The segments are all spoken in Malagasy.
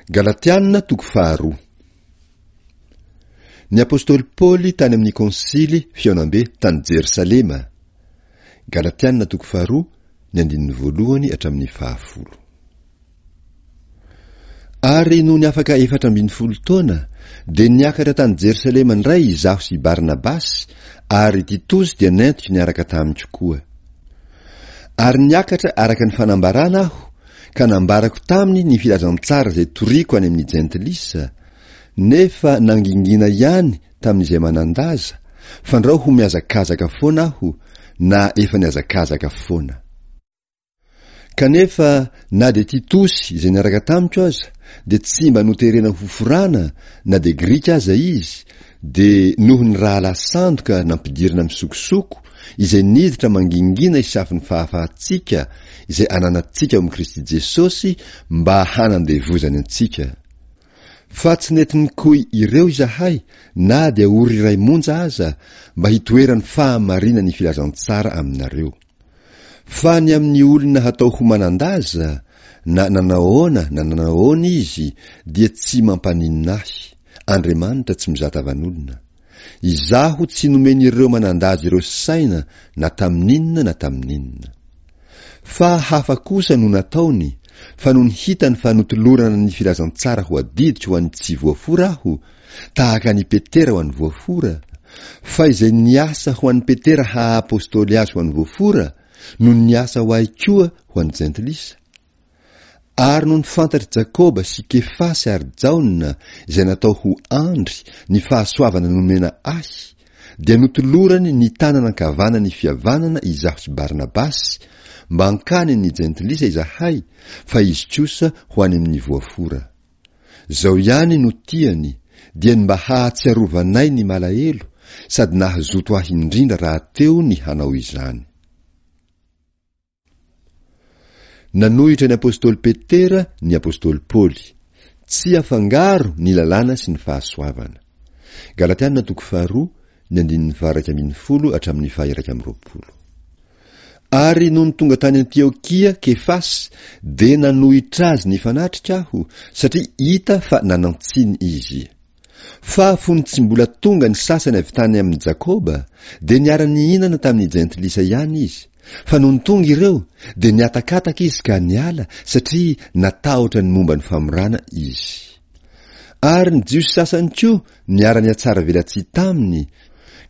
Galatiana toko faharoa. Ny apostoly Paoly tany amin'ny konsily fihaonambe tany Jerosalema. Galatiana toko faharoa, ny andininy voalohany hatramin'ny fahafolo. Ary nony afaka 14 taona, dia niakatra tany Jerosalema indray izaho sy i Barnabasy, ary Titosy dia nentiko niaraka tamiko koa. Ary niakatra araka ny fanambarana aho, ka nambarako taminy ny filazantsara izay toriko any amin'ny jentilisa, nefa nangingina ihany tamin'izay manan-daza, fandrao ho mihazakazaka foana aho, na efa nihazakazaka foana. Kanefa na dia Titosy izay niaraka tamiko aza dia tsy mba noterena ho forana na dia Grika aza izy, dia noho ny rahalahy sandoka nampidirina misokosoko izay niditra mangingina hisafo ny fahafahantsika izay ananantsika ao amin'i Kristy Jesosy mba hanandevozany antsika. Fa tsy nety nikoy ireo izahay na dia ory iray monja aza mba hitoeran'ny fahamarinan'ny filazantsara aminareo. Fa ny amin'ny olona hatao ho manan-daza, na nanahoana na nanahoana izy, dia tsy mampaninona ahy, Andriamanitra tsy mizaha tavan'olona. Izaho tsy nomen'ireo manan-daza ireo saina na tamin'inona na tamin'inona. Fa hafa kosa no nataony, fa nony hitany fa notolorana ny filazantsara ho adidiko ho an'ny tsy voafora aho, tahaka an'i Petera ho an'ny voafora, fa izay niasa ho an'i Petera haha-apostoly azy ho an'ny voafora, no niasa ho ahy koa ho an'ny jentilisa. Ary nony fantatr'i Jakoba sy Kefasy ary Jaona, izay natao ho andry, ny fahasoavana nomena ahy, dia notolorany ny tanana ankavanan'ny fihavanana izaho sy Barnabasy, mba hankany amin'ny jentilisa izahay, fa izy kosa ho any amin'ny voafora. Izao ihany no tiany, dia ny mba hahatsiarovanay ny malahelo, sady nahazoto ahy indrindra rahateo ny hanao izany. Nanohitra ny apostoly Petera ny apostoly Paoly. Tsy afangaro ny lalàna sy ny fahasoavana. Galatiana toko faharoa, ny andininy faha-11 hatramin'ny faha-21. Ary nony tonga tany Antiokia Kefasy, dia nanohitra azy nifanatrika aho, satria hita fa nanan-tsiny izy. Fa fony tsy mbola tonga ny sasany avy tany amin'i Jakoba, dia niara-nihinana tamin'ny jentilisa ihany izy, fa nony tonga ireo, dia nihatakataka izy ka niala, satria natahotra ny momba ny famorana izy. Ary ny Jiosy sasany koa niara-nihatsaravelatsihy taminy,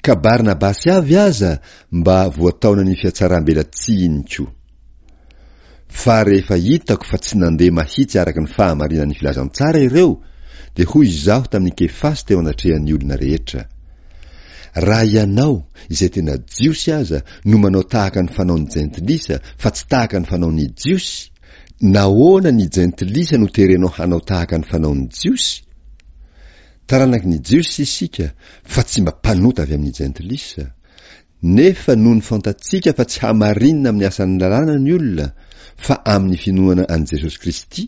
ka Barnabasy avy aza mba voataonan'ny fihatsarambelatsihiny koa. Fa rehefa hitako fa tsy nandeha mahitsy araka ny fahamarinan'ny filazantsara ireo, dia hoy izaho tamin'i Kefasy teo anatrehan'ny olona rehetra, Raha ianao, izay tena Jiosy aza, no manao tahaka ny fanaon'ny Jentilisa fa tsy tahaka ny fanaon'ny Jiosy, nahoana ny Jentilisa no terenao hanao tahaka ny fanaon'ny Jiosy? Taranaky ny Jiosy isika, fa tsy mba mpanota avy amin'ny Jentilisa. Nefa nony fantatsika fa tsy hamarinina amin'ny asan'ny lalàna ny olona fa amin'ny finoana an'i Jesosy Kristy,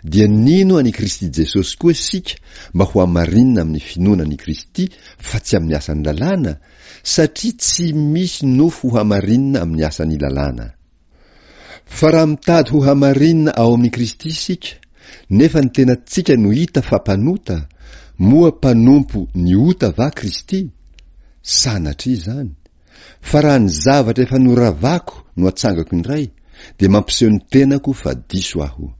dia nino an'i Kristy Jesosy koa isika mba ho hamarinina amin'ny finoana an'i Kristy fa tsy amin'ny asan'ny lalàna, satria tsy misy nofo ho hamarinina amin'ny asan'ny lalàna. Fa raha mitady ho hamarinina ao amin'i Kristy isika, nefa ny tenantsika no hita fa mpanota, moa mpanompo ny ota va Kristy? Sanatria izany! Fa raha ny zavatra efa noravako no atsangako indray, dia mampiseho ny tenako fa diso aho.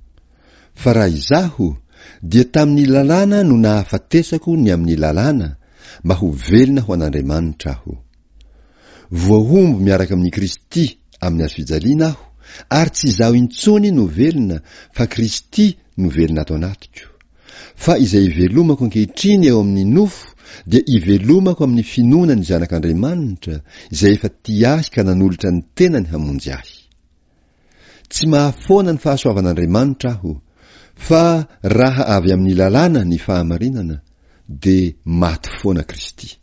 Fa raha izaho, dia tamin'ny lalàna no nahafatesako ny amin'ny lalàna, mba ho velona ho an'Andriamanitra aho. Voahombo miaraka amin'i Kristy amin'ny hazofijaliana aho, ary tsy izaho intsony no velona, fa Kristy no velona ato anatiko. Fa izay ivelomako ankehitriny eo amin'ny nofo dia ivelomako amin'ny finoana ny Zanak'Andriamanitra, izay efa tia ahy ka nanolotra ny tenany hamonjy ahy. Tsy mahafoana ny fahasoavan'Andriamanitra aho, fa raha avy amin'ny lalàna ny fahamarinana, dia maty foana Kristy.